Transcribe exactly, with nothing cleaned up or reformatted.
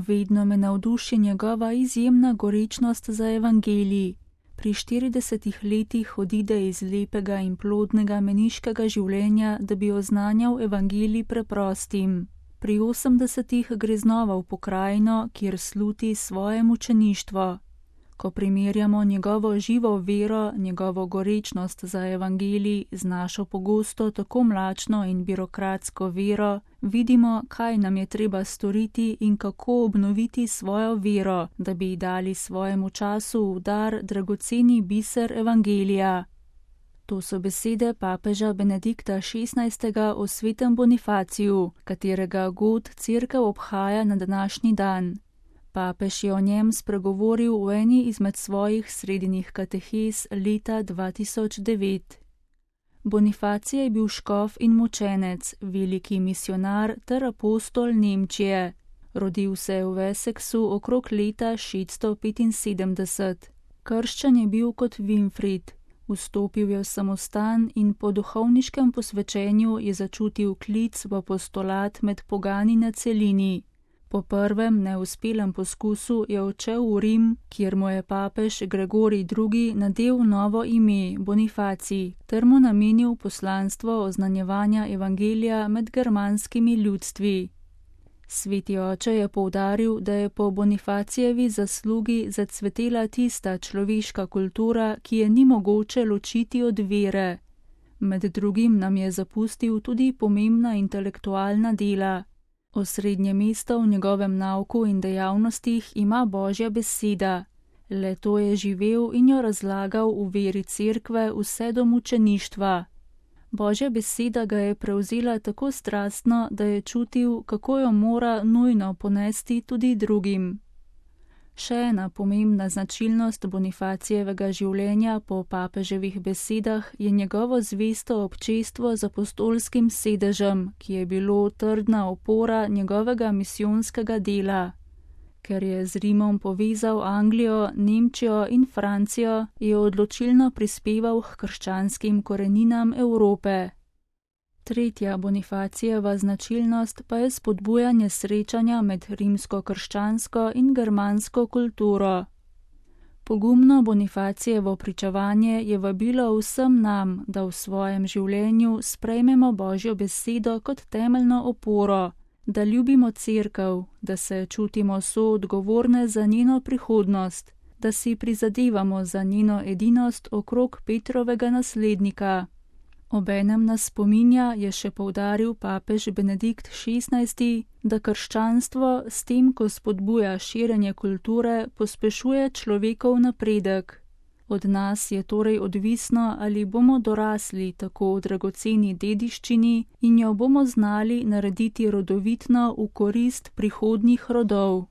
Vedno me navduši njegova izjemna gorečnost za evangelij. Pri štiridesetih letih odide iz lepega in plodnega meniškega življenja, da bi oznanjal evangelij preprostim. Pri osemdesetih gre znova v pokrajino, kjer sluti svoje mučeništvo. Ko primerjamo njegovo živo vero, njegovo gorečnost za evangelij z našo pogosto tako mlačno in birokratsko vero, vidimo, kaj nam je treba storiti in kako obnoviti svojo vero, da bi dali svojemu času v dar dragoceni biser evangelija. To so besede papeža Benedikta šestnajstega o svetem Bonifaciju, katerega god cerkev obhaja na današnji dan. Papež je o njem spregovoril v eni izmed svojih srednjih katehez leta dva tisoč devet. Bonifacije je bil škof in mučenec, veliki misionar ter apostol Nemčije. Rodil se je v Wessexu okrog leta šeststo petinsedemdeset. Krščan je bil kot Winfried. Vstopil je v samostan in po duhovniškem posvečenju je začutil klic v apostolat med pogani na celini. Po prvem neuspelem poskusu je odšel v Rim, kjer mu je papež Gregorij drugi nadel novo ime Bonifacij ter mu namenil poslanstvo oznanjevanja evangelija med germanskimi ljudstvi. Sveti oče je poudaril, da je po Bonifacijevi zaslugi zacvetela tista človeška kultura, ki je ni mogoče ločiti od vere. Med drugim nam je zapustil tudi pomembna intelektualna dela. Osrednje mesto v njegovem nauku in dejavnostih ima Božja beseda. Le to je živel in jo razlagal v veri cerkve vse do mučeništva. Božja beseda ga je prevzela tako strastno, da je čutil, kako jo mora nujno ponesti tudi drugim. Še ena pomembna značilnost Bonifacijevega življenja po papeževih besedah je njegovo zvesto občestvo z apostolskim sedežem, ki je bilo trdna opora njegovega misijonskega dela. Ker je z Rimom povezal Anglijo, Nemčijo in Francijo, je odločilno prispeval k krščanskim koreninam Evrope. Tretja Bonifacijeva značilnost pa je spodbujanje srečanja med rimsko-krščansko in germansko kulturo. Pogumno Bonifacijevo pričevanje je vabilo vsem nam, da v svojem življenju sprejmemo Božjo besedo kot temeljno oporo, da ljubimo cerkev, da se čutimo soodgovorne za njeno prihodnost, da si prizadevamo za njeno edinost okrog Petrovega naslednika. Obenem nas spominja, je še poudaril papež Benedikt šestnajsti, da krščanstvo s tem, ko spodbuja širjenje kulture, pospešuje človekov napredek. Od nas je torej odvisno, ali bomo dorasli tako v dragoceni dediščini in jo bomo znali narediti rodovitno v korist prihodnjih rodov.